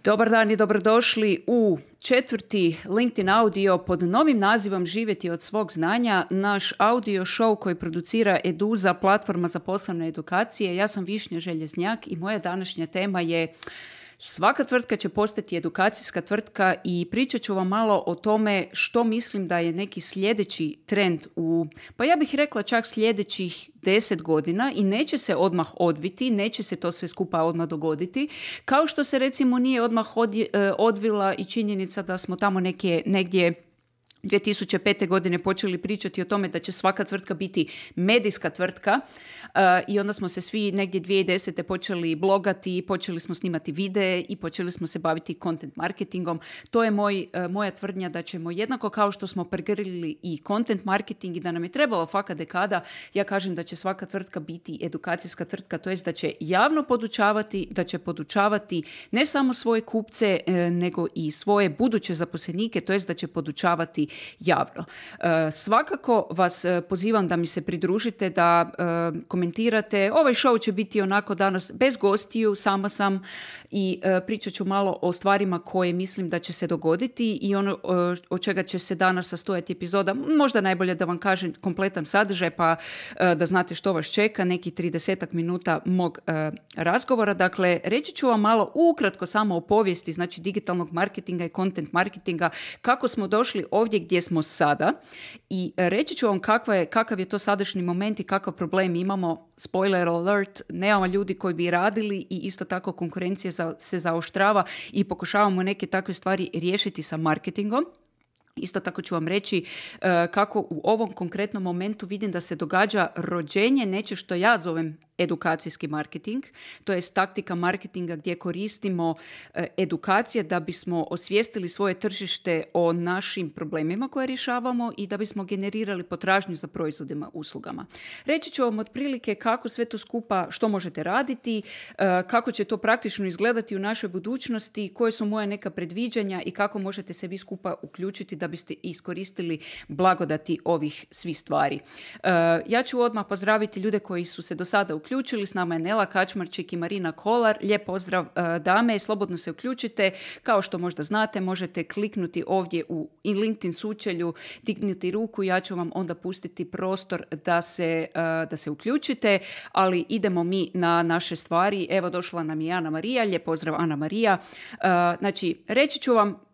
Dobar dan i dobrodošli u 4. LinkedIn audio pod novim nazivom Živjeti od svog znanja, naš audio show koji producira Eduza, platforma za poslovne edukacije. Ja sam Višnja Željeznjak i moja današnja tema je svaka tvrtka će postati edukacijska tvrtka i pričat ću vam malo o tome što mislim da je neki sljedeći trend pa ja bih rekla čak sljedećih 10 godina i neće se odmah odviti, neće se to sve skupa odmah dogoditi, kao što se recimo nije odmah odvila i činjenica da smo tamo negdje 2005. godine počeli pričati o tome da će svaka tvrtka biti medijska tvrtka i onda smo se svi negdje 2010. počeli blogati, počeli smo snimati videe i počeli smo se baviti content marketingom. To je moja tvrdnja da ćemo jednako kao što smo pregrlili i content marketing i da nam je trebala faka dekada, ja kažem da će svaka tvrtka biti edukacijska tvrtka, to jest da će javno podučavati, da će podučavati ne samo svoje kupce nego i svoje buduće zaposlenike, to jest da će podučavati javno. Svakako vas pozivam da mi se pridružite, da komentirate. Ovaj show će biti onako danas bez gostiju, sama sam i pričat ću malo o stvarima koje mislim da će se dogoditi i ono od čega će se danas sastojati epizoda. Možda najbolje da vam kažem kompletan sadržaj pa da znate što vas čeka, neki 30 minuta mog razgovora. Dakle, reći ću vam malo ukratko samo o povijesti, znači digitalnog marketinga i content marketinga, kako smo došli ovdje gdje smo sada i reći ću vam kakav je to sadašnji moment i kakav problem imamo. Spoiler alert, nemamo ljudi koji bi radili i isto tako konkurencija se zaoštrava i pokušavamo neke takve stvari riješiti sa marketingom. Isto tako ću vam reći kako u ovom konkretnom momentu vidim da se događa rođenje neće što ja zovem edukacijski marketing, to je taktika marketinga gdje koristimo edukacije da bismo osvijestili svoje tržište o našim problemima koje rješavamo i da bismo generirali potražnju za proizvodima, uslugama. Reći ću vam otprilike kako sve to skupa, što možete raditi, kako će to praktično izgledati u našoj budućnosti, koje su moje neka predviđanja i kako možete se vi skupa uključiti da biste iskoristili blagodati ovih svih stvari. Ja ću odmah pozdraviti ljude koji su se do sada uključili. S nama je Nela Kačmarčik i Marina Kolar. Lijep pozdrav dame, slobodno se uključite. Kao što možda znate, možete kliknuti ovdje u LinkedIn sučelju, dignuti ruku, ja ću vam onda pustiti prostor da se uključite, ali idemo mi na naše stvari. Evo došla nam je Ana Marija, lijep pozdrav Ana Marija. Znači, reći ću vam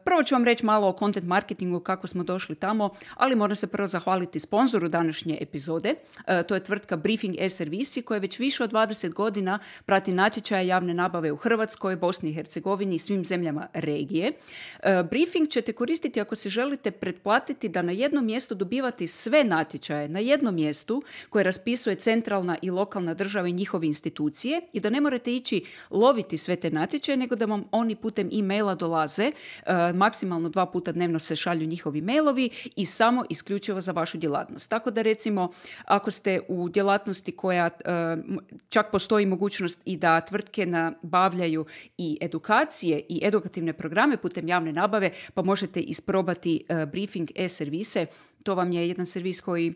prvo ću vam reći malo o content marketingu, kako smo došli tamo, ali moram se prvo zahvaliti sponzoru današnje epizode. To je tvrtka Briefing e-servisi koja već više od 20 godina prati natječaje javne nabave u Hrvatskoj, Bosni i Hercegovini i svim zemljama regije. Briefing ćete koristiti ako se želite pretplatiti da na jednom mjestu dobivate sve natječaje, na jednom mjestu koje raspisuje centralna i lokalna država i njihove institucije i da ne morate ići loviti sve te natječaje, nego da vam oni putem e-maila dolaze. Maksimalno 2 puta dnevno se šalju njihovi mailovi i samo isključivo za vašu djelatnost. Tako da recimo ako ste u djelatnosti koja čak postoji mogućnost i da tvrtke nabavljaju i edukacije i edukativne programe putem javne nabave, pa možete isprobati Briefing e-servise. To vam je jedan servis koji,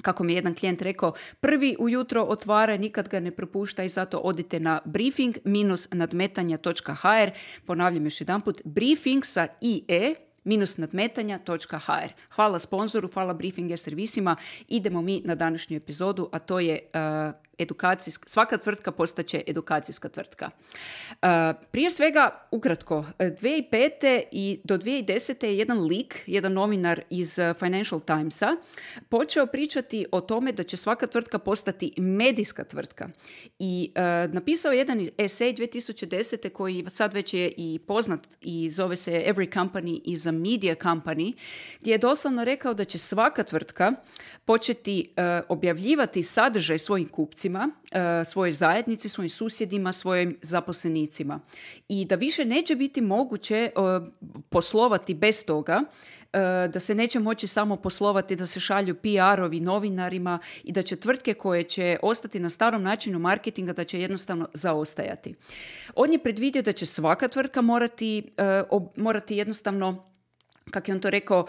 kako mi je jedan klijent rekao, prvi ujutro otvara, nikad ga ne propušta i zato odite na briefing-nadmetanja.hr. Ponavljam još jedanput, briefing sa IE -nadmetanja.hr. Hvala sponzoru, hvala Briefing servisima. Idemo mi na današnju epizodu, a to je svaka tvrtka postaće edukacijska tvrtka. Prije svega, ukratko, 2005. i do 2010. je jedan lik, jedan novinar iz Financial Timesa, počeo pričati o tome da će svaka tvrtka postati medijska tvrtka. I napisao je jedan esej 2010. koji sad već je i poznat i zove se Every company is a media company, gdje je doslovno rekao da će svaka tvrtka početi objavljivati sadržaj svojim kupcima, svojoj zajednici, svojim susjedima, svojim zaposlenicima. I da više neće biti moguće poslovati bez toga, da se neće moći samo poslovati, da se šalju PR-ovi novinarima i da će tvrtke koje će ostati na starom načinu marketinga da će jednostavno zaostajati. On je predvidio da će svaka tvrtka morati jednostavno kako je on to rekao,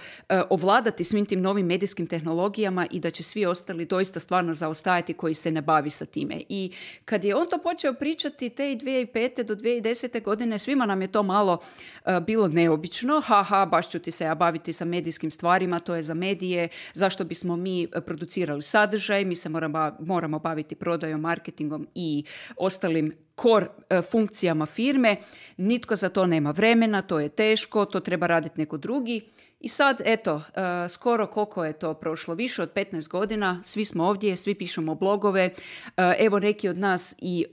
ovladati svim tim novim medijskim tehnologijama i da će svi ostali doista stvarno zaostajati koji se ne bavi sa time. I kad je on to počeo pričati te 2005. do 2010. godine, svima nam je to malo bilo neobično. Baš ću ti se ja baviti sa medijskim stvarima, to je za medije, zašto bismo mi producirali sadržaj, mi se moramo baviti prodajom, marketingom i ostalim core funkcijama firme. Nitko za to nema vremena, to je teško, to treba raditi neko drugi. I sad, eto, skoro koliko je to prošlo, više od 15 godina, svi smo ovdje, svi pišemo blogove, evo neki od nas i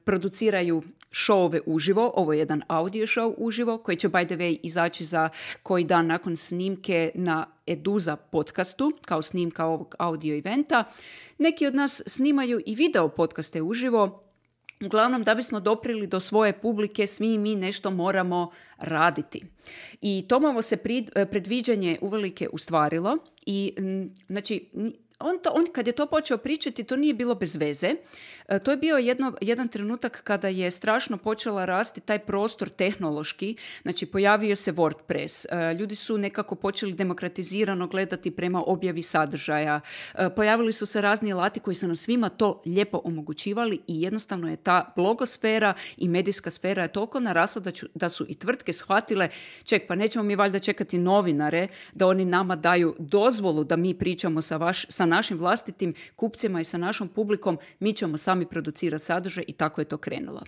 produciraju šovove uživo, ovo je jedan audio show uživo, koji će by the way izaći za koji dan nakon snimke na Eduza podcastu, kao snimka ovog audio eventa. Neki od nas snimaju i video podcaste uživo. Uglavnom, da bismo doprili do svoje publike, svi mi nešto moramo raditi. I Tomovo se predviđanje uvelike ustvarilo i znači on kad je to počeo pričati, to nije bilo bez veze. To je bio jedan trenutak kada je strašno počela rasti taj prostor tehnološki. Znači, pojavio se WordPress. Ljudi su nekako počeli demokratizirano gledati prema objavi sadržaja. Pojavili su se razni alati koji su nam svima to lijepo omogućivali i jednostavno je ta blogosfera i medijska sfera je toliko narasla da su i tvrtke shvatile, pa nećemo mi valjda čekati novinare da oni nama daju dozvolu da mi pričamo sa našim vlastitim kupcima i sa našom publikom, mi ćemo sami producirati sadržaj i tako je to krenulo.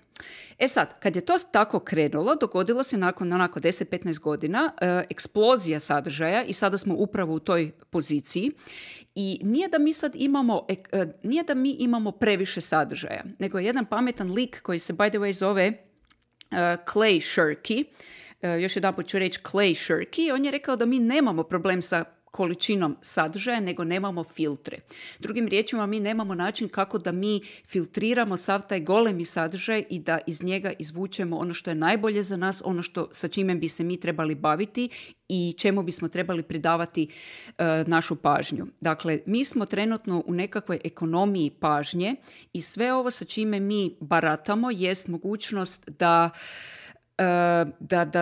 E sad, kad je to tako krenulo, dogodilo se nakon 10-15 godina eksplozija sadržaja i sada smo upravo u toj poziciji i nije da mi imamo previše sadržaja, nego je jedan pametan lik koji se by the way zove Clay Shirky, još jedanput ću reći Clay Shirky, on je rekao da mi nemamo problem sa količinom sadržaja, nego nemamo filtre. Drugim riječima, mi nemamo način kako da mi filtriramo sav taj golemi sadržaj i da iz njega izvučemo ono što je najbolje za nas, ono sa čime bi se mi trebali baviti i čemu bismo trebali pridavati našu pažnju. Dakle, mi smo trenutno u nekakvoj ekonomiji pažnje i sve ovo sa čime mi baratamo jest mogućnost da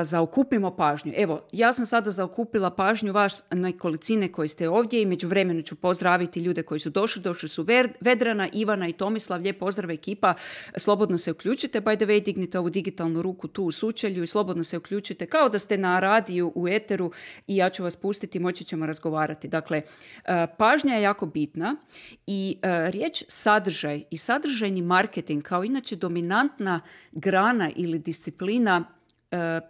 zaokupimo pažnju. Evo, ja sam sada zaokupila pažnju vas nekolicine koji ste ovdje i međuvremenu ću pozdraviti ljude koji su došli su Vedrana, Ivana i Tomislav, lijep pozdrav ekipa, slobodno se uključite, by the way, dignite ovu digitalnu ruku tu u sučelju i slobodno se uključite kao da ste na radiju u eteru i ja ću vas pustiti, moći ćemo razgovarati. Dakle, pažnja je jako bitna i riječ sadržaj i sadržajni marketing kao inače dominantna grana ili disciplina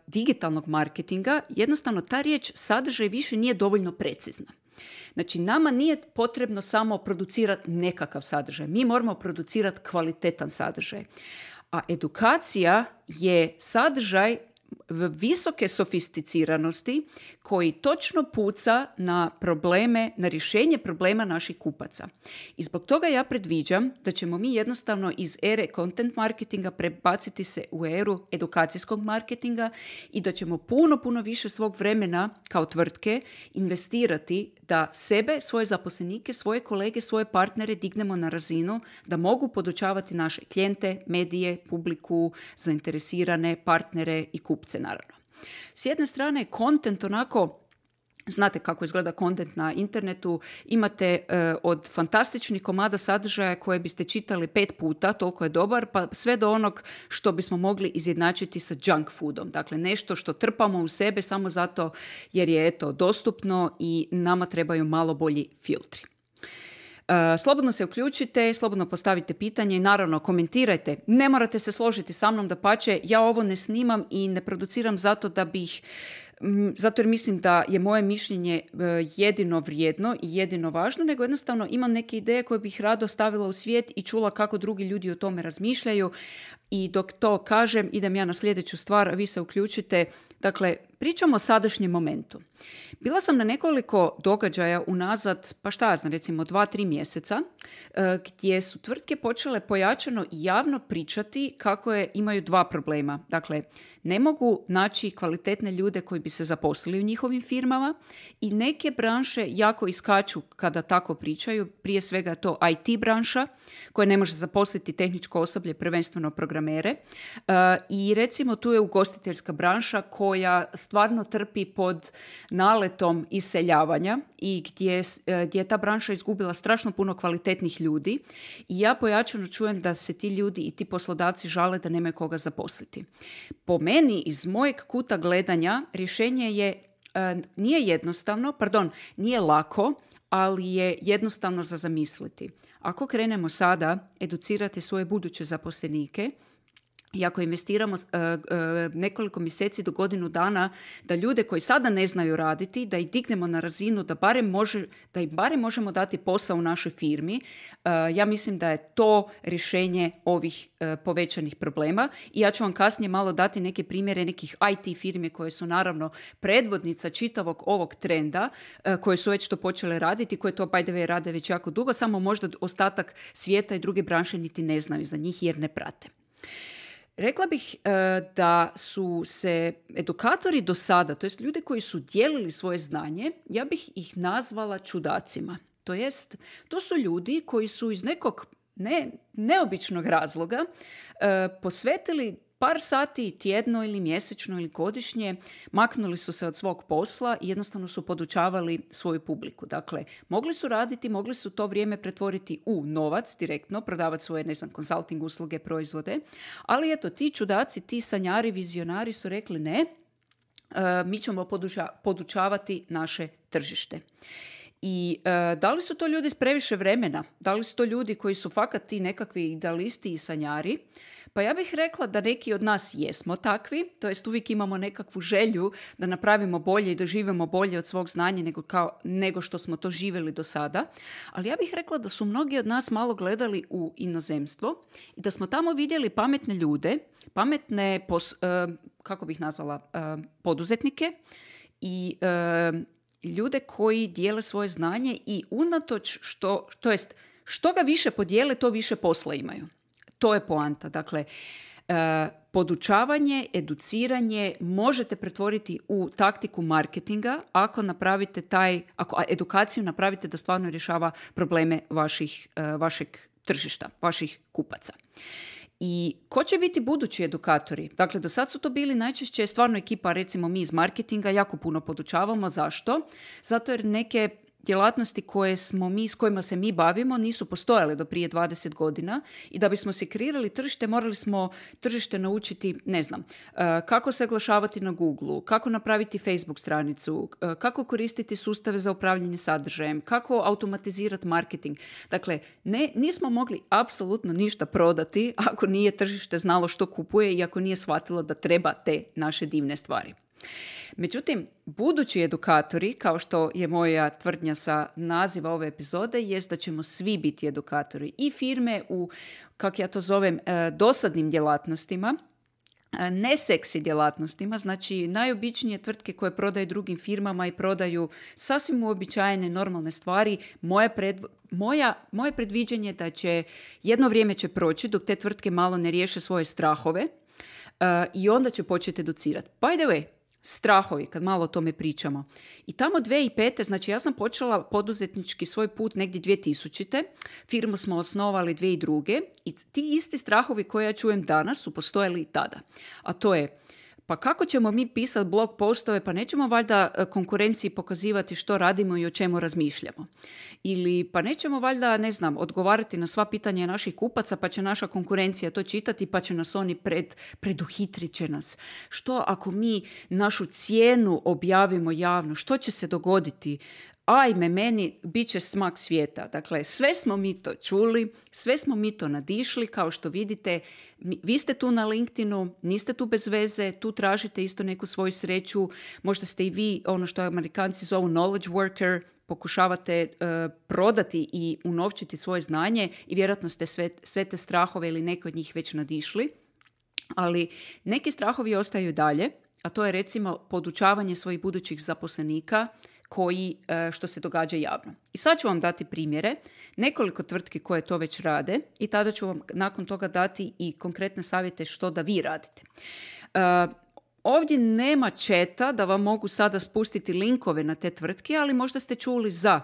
digitalnog marketinga, jednostavno ta riječ sadržaj više nije dovoljno precizna. Znači, nama nije potrebno samo producirati nekakav sadržaj. Mi moramo producirati kvalitetan sadržaj. A edukacija je sadržaj visoke sofisticiranosti koji točno puca na probleme, na rješenje problema naših kupaca. I zbog toga ja predviđam da ćemo mi jednostavno iz ere content marketinga prebaciti se u eru edukacijskog marketinga i da ćemo puno više svog vremena kao tvrtke investirati da sebe, svoje zaposlenike, svoje kolege, svoje partnere dignemo na razinu da mogu podučavati naše klijente, medije, publiku, zainteresirane partnere i kupce naravno. S jedne strane, content onako, znate kako izgleda content na internetu, imate od fantastičnih komada sadržaja koje biste čitali 5 puta, toliko je dobar, pa sve do onog što bismo mogli izjednačiti sa junk foodom. Dakle, nešto što trpamo u sebe samo zato jer je dostupno i nama trebaju malo bolji filtri. Slobodno se uključite, slobodno postavite pitanje i naravno komentirajte. Ne morate se složiti sa mnom, dapače, ja ovo ne snimam i ne produciram zato jer mislim da je moje mišljenje jedino vrijedno i jedino važno, nego jednostavno imam neke ideje koje bih rado stavila u svijet i čula kako drugi ljudi o tome razmišljaju. I dok to kažem, idem ja na sljedeću stvar, a vi se uključite. Dakle, pričamo o sadašnjem momentu. Bila sam na nekoliko događaja unazad, recimo 2-3 mjeseca, gdje su tvrtke počele pojačano i javno pričati kako imaju 2 problema. Dakle, ne mogu naći kvalitetne ljude koji bi se zaposlili u njihovim firmama i neke branše jako iskaču kada tako pričaju. Prije svega je to IT branša koja ne može zaposliti tehničko osoblje, prvenstveno programere. I recimo tu je ugostiteljska branša koja stvarno trpi pod naletom iseljavanja i gdje je ta branša izgubila strašno puno kvalitetnih ljudi i ja pojačano čujem da se ti ljudi i ti poslodavci žale da nemaju koga zaposliti. Po meni, iz mojeg kuta gledanja, rješenje je nije lako, ali je jednostavno za zamisliti. Ako krenemo sada educirati svoje buduće zaposlenike i ako investiramo nekoliko mjeseci do godinu dana da ljude koji sada ne znaju raditi, da ih dignemo na razinu da im barem možemo dati posao u našoj firmi, ja mislim da je to rješenje ovih povećanih problema. I ja ću vam kasnije malo dati neke primjere nekih IT firme koje su naravno predvodnica čitavog ovog trenda, koje su već to počele raditi, koje to by the way rade već jako dugo, samo možda ostatak svijeta i druge branše niti ne znaju za njih jer ne prate. Rekla bih da su se edukatori do sada, to jest ljude koji su dijelili svoje znanje, ja bih ih nazvala čudacima. To jest, to su ljudi koji su iz nekog neobičnog razloga posvetili par sati tjedno ili mjesečno ili godišnje, maknuli su se od svog posla i jednostavno su podučavali svoju publiku. Dakle, mogli su raditi, mogli su to vrijeme pretvoriti u novac direktno, prodavati svoje, konsulting usluge, proizvode, ali eto, ti čudaci, ti sanjari, vizionari su rekli ne, mi ćemo podučavati naše tržište. I da li su to ljudi s previše vremena? Da li su to ljudi koji su fakat ti nekakvi idealisti i sanjari? Pa ja bih rekla da neki od nas jesmo takvi, to jest uvijek imamo nekakvu želju da napravimo bolje i doživimo bolje od svog znanja nego što smo to živjeli do sada. Ali ja bih rekla da su mnogi od nas malo gledali u inozemstvo i da smo tamo vidjeli pametne ljude, pametne, poduzetnike i ljude koji dijele svoje znanje i unatoč što ga više podijele, to više posla imaju. To je poanta. Dakle, podučavanje, educiranje možete pretvoriti u taktiku marketinga ako edukaciju napravite da stvarno rješava probleme vašeg tržišta, vaših kupaca. I ko će biti budući edukatori? Dakle, do sad su to bili najčešće stvarno ekipa, recimo mi iz marketinga, jako puno podučavamo. Zašto? Zato jer neke djelatnosti s kojima se mi bavimo nisu postojale do prije 20 godina i da bismo se kreirali tržište, morali smo tržište naučiti, kako se oglašavati na Googleu, kako napraviti Facebook stranicu, kako koristiti sustave za upravljanje sadržajem, kako automatizirati marketing. Dakle, nismo mogli apsolutno ništa prodati ako nije tržište znalo što kupuje i ako nije shvatilo da treba te naše divne stvari. Međutim, budući edukatori, kao što je moja tvrdnja sa naziva ove epizode, jest da ćemo svi biti edukatori i firme u, kako ja to zovem, dosadnim djelatnostima, ne seksi djelatnostima, znači najobičnije tvrtke koje prodaju drugim firmama i prodaju sasvim uobičajene normalne stvari. Moje predviđenje da će jedno vrijeme će proći dok te tvrtke malo ne riješe svoje strahove i onda će početi educirati. By the way, strahovi, kad malo o tome pričamo. I tamo 2005. znači ja sam počela poduzetnički svoj put negdje 2000. Firmu smo osnovali 2002. I ti isti strahovi koje ja čujem danas su postojali i tada. A to je, pa kako ćemo mi pisati blog postove, pa nećemo valjda konkurenciji pokazivati što radimo i o čemu razmišljamo. Ili pa nećemo valjda, odgovarati na sva pitanja naših kupaca, pa će naša konkurencija to čitati, pa će nas oni preduhitrit će nas. Što ako mi našu cijenu objavimo javno? Što će se dogoditi? Ajme, meni bit će smak svijeta. Dakle, sve smo mi to čuli, sve smo mi to nadišli, kao što vidite, vi ste tu na LinkedInu, niste tu bez veze, tu tražite isto neku svoju sreću, možda ste i vi, ono što Amerikanci zovu knowledge worker, pokušavate prodati i unovčiti svoje znanje i vjerojatno ste sve te strahove ili neke od njih već nadišli, ali neki strahovi ostaju dalje, a to je recimo podučavanje svojih budućih zaposlenika što se događa javno. I sad ću vam dati primjere, nekoliko tvrtki koje to već rade i tada ću vam nakon toga dati i konkretne savjete što da vi radite. Ovdje nema chata da vam mogu sada spustiti linkove na te tvrtke, ali možda ste čuli za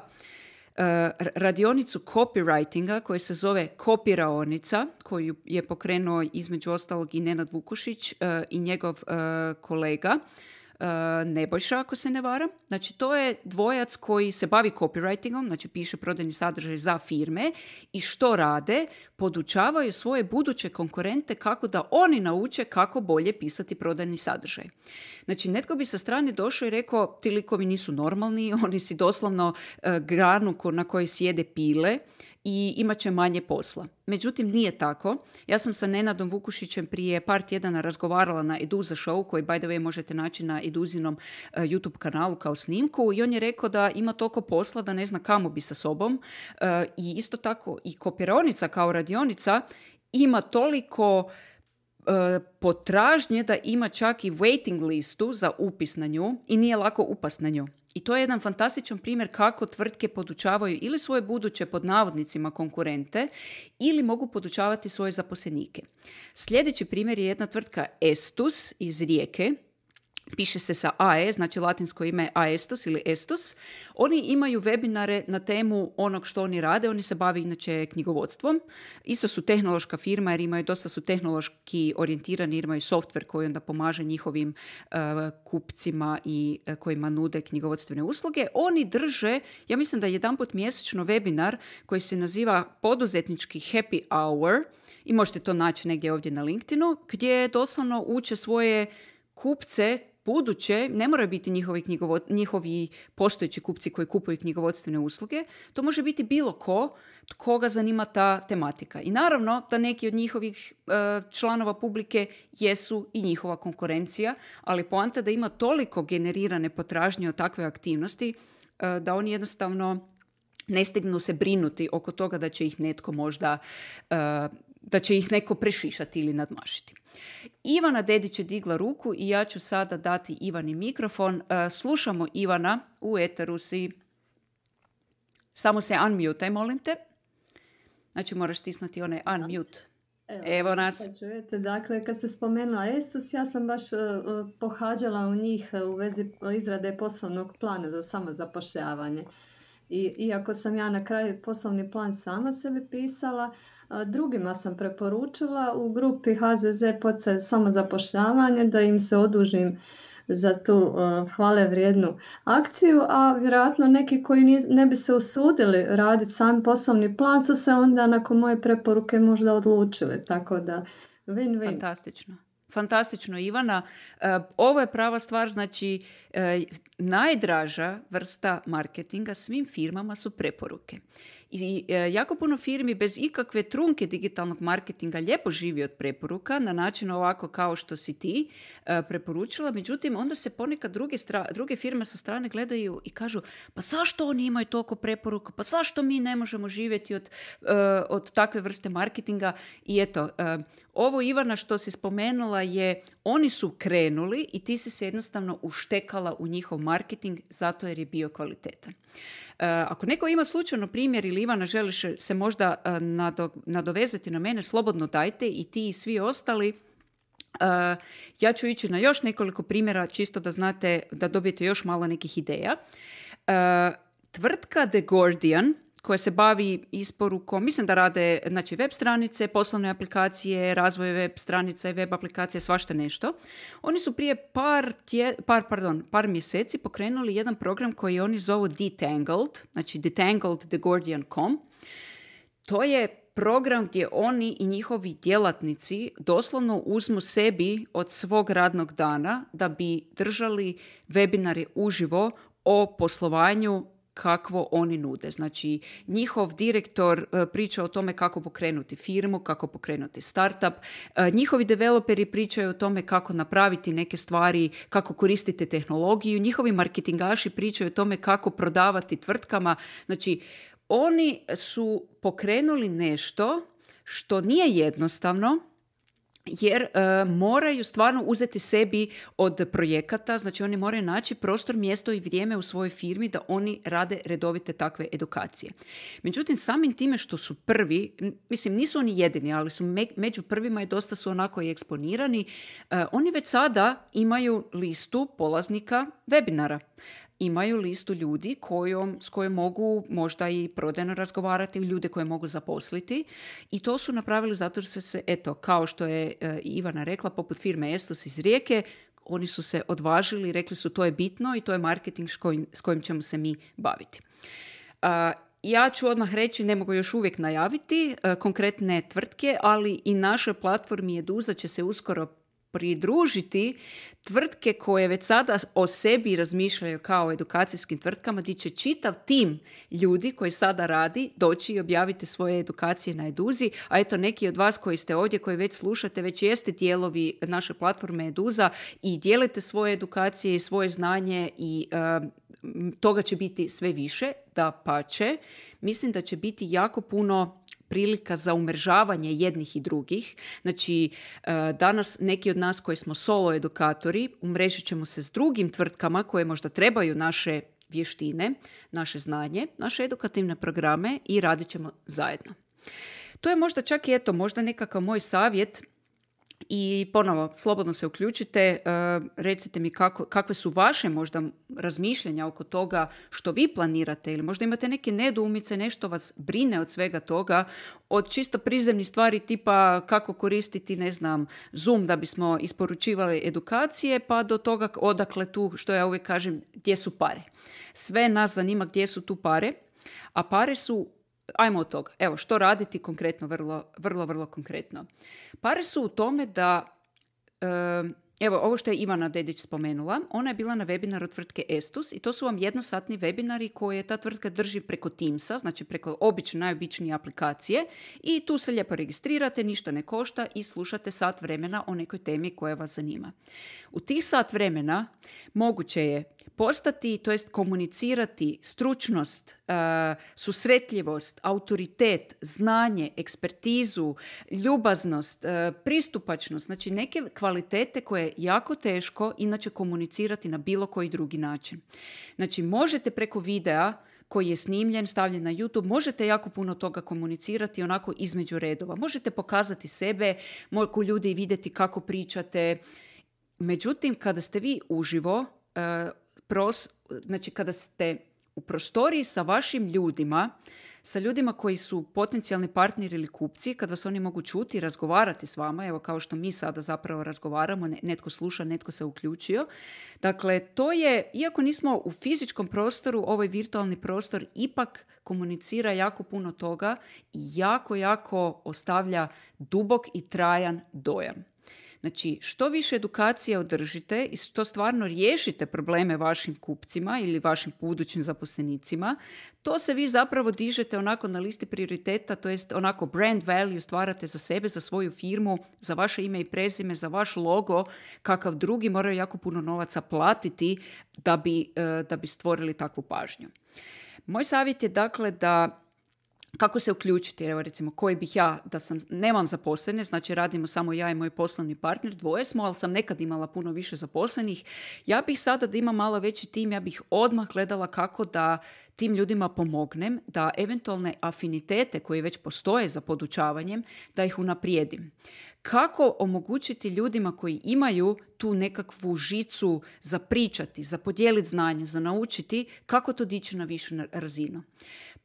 radionicu copywritinga koja se zove Kopiraonica, koju je pokrenuo između ostalog i Nenad Vukušić i njegov kolega Nebojša, ako se ne varam. Znači, to je dvojac koji se bavi copywritingom, znači piše prodajni sadržaj za firme i što rade? Podučavaju svoje buduće konkurente kako da oni nauče kako bolje pisati prodajni sadržaj. Znači, netko bi sa strane došao i rekao, ti likovi nisu normalni, oni si doslovno granu na kojoj sjede pile i imat će manje posla. Međutim, nije tako. Ja sam sa Nenadom Vukušićem prije par tjedana razgovarala na Eduza show, koji by the way možete naći na Eduzinom YouTube kanalu kao snimku, i on je rekao da ima toliko posla da ne zna kamo bi sa sobom. I isto tako i kopiraonica kao radionica ima toliko potražnje da ima čak i waiting listu za upis na nju i nije lako upast na nju. I to je jedan fantastičan primjer kako tvrtke podučavaju ili svoje buduće pod navodnicima konkurente ili mogu podučavati svoje zaposlenike. Sljedeći primjer je jedna tvrtka Estus iz Rijeke. Piše se sa AE, znači latinsko ime Aestus ili Estus. Oni imaju webinare na temu onog što oni rade. Oni se bave inače knjigovodstvom. Isto su tehnološka firma jer imaju, dosta su tehnološki orijentirani, jer imaju software koji onda pomaže njihovim kupcima i kojima nude knjigovodstvene usluge. Oni drže, ja mislim da jedanput mjesečno webinar koji se naziva poduzetnički happy hour i možete to naći negdje ovdje na LinkedInu, gdje doslovno uče svoje kupce buduće, ne moraju biti njihovi postojeći kupci koji kupuju knjigovodstvene usluge, to može biti bilo koga zanima ta tematika. I naravno da neki od njihovih članova publike jesu i njihova konkurencija, ali poanta da ima toliko generirane potražnje od takve aktivnosti da oni jednostavno ne stignu se brinuti oko toga da će ih netko možda da će ih neko prešišati ili nadmašiti. Ivana Dedić je digla ruku i ja ću sada dati Ivani mikrofon. Slušamo Ivana, u eteru si. Samo se unmute, molim te. Znači moraš stisnuti onaj unmute. Evo nas. Čujete, dakle, kad ste spomenula Estus, ja sam baš pohađala u njih u vezi izrade poslovnog plana za samozapošljavanje. I iako sam ja na kraju poslovni plan sama sebi pisala, drugima sam preporučila u grupi HZZ poticaj samozapošljavanje da im se odužim za tu hvale vrijednu akciju, a vjerojatno neki koji ne bi se usudili raditi sam poslovni plan su se onda nakon moje preporuke možda odlučili, tako da win-win. Fantastično, Ivana. Ovo je prava stvar, znači najdraža vrsta marketinga svim firmama su preporuke. I jako puno firmi bez ikakve trunke digitalnog marketinga lijepo živi od preporuka na način ovako kao što si ti preporučila. Međutim, onda se ponekad druge firme sa strane gledaju i kažu pa zašto oni imaju toliko preporuka, pa zašto mi ne možemo živjeti od takve vrste marketinga. I eto, ovo Ivana što si spomenula je oni su krenuli i ti si se jednostavno uštekala u njihov marketing zato jer je bio kvalitetan. Ako neko ima slučajno primjer ili Ivana želiš se možda nadovezati na mene, slobodno dajte i ti i svi ostali. Ja ću ići na još nekoliko primjera čisto da znate, da dobijete još malo nekih ideja. Tvrtka The Guardian koja se bavi isporukom, mislim da rade znači, web stranice, poslovne aplikacije, razvoj web stranica i web aplikacije, svašta nešto. Oni su prije par mjeseci pokrenuli jedan program koji oni zovu Detangled, znači detangled.theguardian.com. To je program gdje oni i njihovi djelatnici doslovno uzmu sebi od svog radnog dana da bi držali webinare uživo o poslovanju kakvo oni nude. Znači, njihov direktor priča o tome kako pokrenuti firmu, kako pokrenuti startup. Njihovi developeri pričaju o tome kako napraviti neke stvari, kako koristiti tehnologiju. Njihovi marketingaši pričaju o tome kako prodavati tvrtkama. Znači, oni su pokrenuli nešto što nije jednostavno, jer moraju stvarno uzeti sebi od projekata, znači oni moraju naći prostor, mjesto i vrijeme u svojoj firmi da oni rade redovite takve edukacije. Međutim, samim time što su prvi, mislim nisu oni jedini, ali su među prvima i dosta su onako i eksponirani, oni već sada imaju listu polaznika webinara. Imaju listu ljudi s kojom mogu možda i prodajno razgovarati, ljude koje mogu zaposliti i to su napravili zato što se, eto, kao što je Ivana rekla, poput firme Estus iz Rijeke, oni su se odvažili i rekli su to je bitno i to je marketing s kojim ćemo se mi baviti. Ja ću odmah reći, ne mogu još uvijek najaviti konkretne tvrtke, ali i našoj platformi Eduza će se uskoro pridružiti tvrtke koje već sada o sebi razmišljaju kao o edukacijskim tvrtkama, gdje će čitav tim ljudi koji sada radi doći i objaviti svoje edukacije na Eduzi, a eto neki od vas koji ste ovdje, koji već slušate, već jeste dijelovi naše platforme Eduza i dijelite svoje edukacije i svoje znanje i toga će biti sve više, dapače. Mislim da će biti jako puno prilika za umrežavanje jednih i drugih. Znači, danas neki od nas koji smo solo edukatori, umrežit ćemo se s drugim tvrtkama koje možda trebaju naše vještine, naše znanje, naše edukativne programe i radit ćemo zajedno. To je možda čak i možda nekakav moj savjet. I ponovo, slobodno se uključite, recite mi kakve su vaše možda razmišljanja oko toga što vi planirate ili možda imate neke nedoumice, nešto vas brine od svega toga, od čisto prizemnih stvari tipa kako koristiti, ne znam, Zoom da bismo isporučivali edukacije, pa do toga odakle tu, što ja uvijek kažem, gdje su pare. Sve nas zanima gdje su tu pare, a pare su, ajmo od toga. Evo, što raditi konkretno, vrlo konkretno. Pare su u tome da, evo, ovo što je Ivana Dedić spomenula, ona je bila na webinaru od tvrtke Estus i to su vam jednosatni webinari koje ta tvrtka drži preko Teamsa, znači preko najobičnije aplikacije i tu se lijepo registrirate, ništa ne košta i slušate sat vremena o nekoj temi koja vas zanima. U tih sat vremena moguće je postati, to jest komunicirati stručnost, susretljivost, autoritet, znanje, ekspertizu, ljubaznost, pristupačnost, znači neke kvalitete koje je jako teško inače komunicirati na bilo koji drugi način. Znači možete preko videa koji je snimljen, stavljen na YouTube, možete jako puno toga komunicirati onako između redova. Možete pokazati sebe, mogu ljudi vidjeti kako pričate. Međutim, kada ste vi uživo, znači kada ste u prostoriji sa vašim ljudima, sa ljudima koji su potencijalni partneri ili kupci, kad vas oni mogu čuti i razgovarati s vama, evo kao što mi sada zapravo razgovaramo, netko sluša, netko se uključio. Dakle, to je, iako nismo u fizičkom prostoru, ovaj virtualni prostor ipak komunicira jako puno toga i jako ostavlja dubok i trajan dojam. Znači, što više edukacije održite i što stvarno riješite probleme vašim kupcima ili vašim budućim zaposlenicima, to se vi zapravo dižete onako na listi prioriteta, to jest onako brand value stvarate za sebe, za svoju firmu, za vaše ime i prezime, za vaš logo, kakav drugi moraju jako puno novaca platiti da bi stvorili takvu pažnju. Moj savjet je dakle da kako se uključiti, evo recimo koji bih ja, nemam zaposlene, znači radimo samo ja i moj poslovni partner, dvoje smo, ali sam nekad imala puno više zaposlenih. Ja bih sada da imam malo veći tim, ja bih odmah gledala kako da tim ljudima pomognem, da eventualne afinitete koje već postoje za podučavanjem, da ih unaprijedim. Kako omogućiti ljudima koji imaju tu nekakvu žicu za pričati, za podijeliti znanje, za naučiti, kako to dići na višu razinu.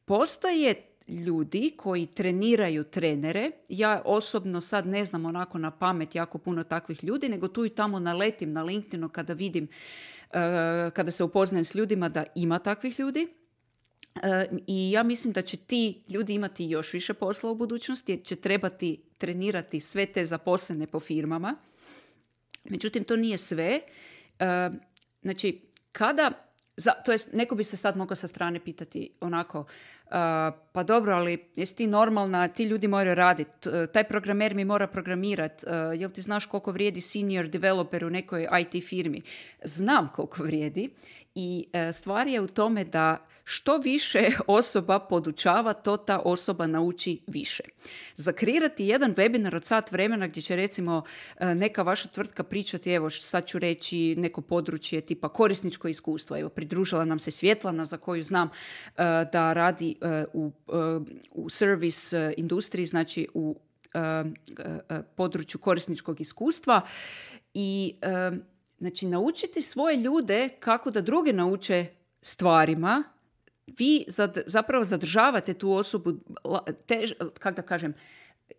Postoje ljudi koji treniraju trenere. Ja osobno sad ne znam onako na pamet jako puno takvih ljudi, nego tu i tamo naletim na LinkedInu kada vidim, kada se upoznajem s ljudima da ima takvih ljudi. I ja mislim da će ti ljudi imati još više posla u budućnosti jer će trebati trenirati sve te zaposlene po firmama. Međutim, to nije sve. Znači, to jest, neko bi se sad mogao sa strane pitati onako, pa dobro, ali jesi ti normalna, ti ljudi moraju raditi, taj programer mi mora programirati, jel ti znaš koliko vrijedi senior developer u nekoj IT firmi? Znam koliko vrijedi i stvar je u tome da što više osoba podučava, to ta osoba nauči više. Zakreirati jedan webinar od sat vremena gdje će recimo neka vaša tvrtka pričati, evo sad ću reći neko područje tipa korisničko iskustvo. Evo, pridružila nam se Svjetlana za koju znam da radi u service industriji, znači u području korisničkog iskustva i znači naučiti svoje ljude kako da druge nauče stvarima. Vi zapravo zadržavate tu osobu, kako da kažem,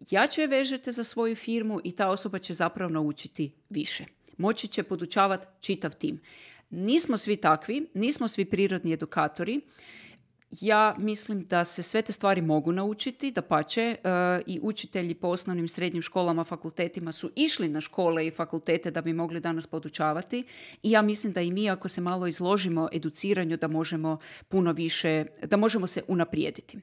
jače vežete za svoju firmu i ta osoba će zapravo naučiti više. moći će podučavati čitav tim. Nismo svi takvi, nismo svi prirodni edukatori. Ja mislim da se sve te stvari mogu naučiti, dapače, i učitelji po osnovnim srednjim školama, fakultetima su išli na škole i fakultete da bi mogli danas podučavati i ja mislim da i mi ako se malo izložimo educiranju da možemo puno više, da možemo se unaprijediti.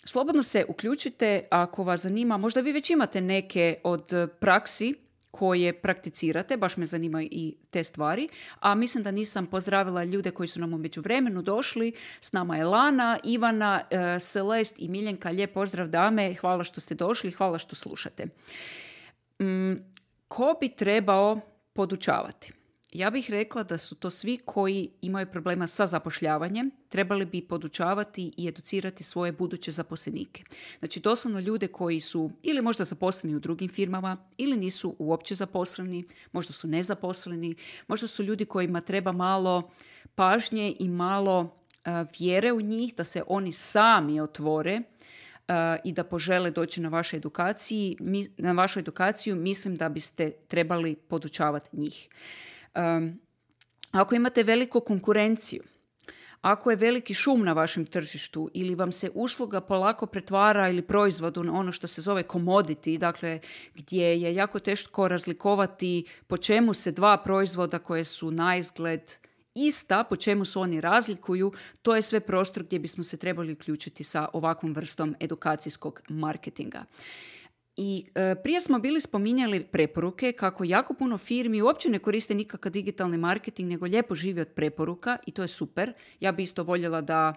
Slobodno se uključite ako vas zanima, možda vi već imate neke od praksi koje prakticirate, baš me zanimaju i te stvari, a mislim da nisam pozdravila ljude koji su nam u međuvremenu došli. S nama je Lana, Ivana, Celest i Miljenka. Lijep pozdrav dame, hvala što ste došli, hvala što slušate. Ko bi trebao podučavati? Ja bih rekla da su to svi koji imaju problema sa zapošljavanjem, trebali bi podučavati i educirati svoje buduće zaposlenike. Znači doslovno ljude koji su ili možda zaposleni u drugim firmama ili nisu uopće zaposleni, možda su nezaposleni, možda su ljudi kojima treba malo pažnje i malo vjere u njih, da se oni sami otvore i da požele doći na vašu edukaciju, mislim da biste trebali podučavati njih. Ako imate veliku konkurenciju, ako je veliki šum na vašem tržištu ili vam se usluga polako pretvara ili proizvod u ono što se zove commodity, dakle gdje je jako teško razlikovati po čemu se dva proizvoda koje su naizgled ista, po čemu se oni razlikuju, to je sve prostor gdje bismo se trebali uključiti sa ovakvom vrstom edukacijskog marketinga. I prije smo bili spominjali preporuke kako jako puno firmi uopće ne koriste nikakav digitalni marketing, nego lijepo živi od preporuka i to je super. Ja bi isto voljela da,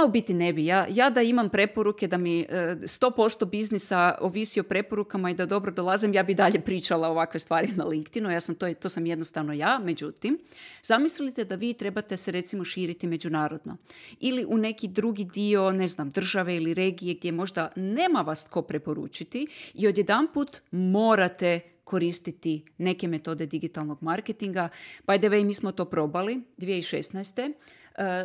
u biti ne bi, ja da imam preporuke, da mi 100% biznisa ovisi o preporukama i da dobro dolazim, ja bi dalje pričala ovakve stvari na LinkedInu, to sam jednostavno ja. Međutim, zamislite da vi trebate se recimo širiti međunarodno ili u neki drugi dio, ne znam, države ili regije gdje možda nema vas tko preporučiti i odjedanput morate koristiti neke metode digitalnog marketinga. By the way, mi smo to probali 2016.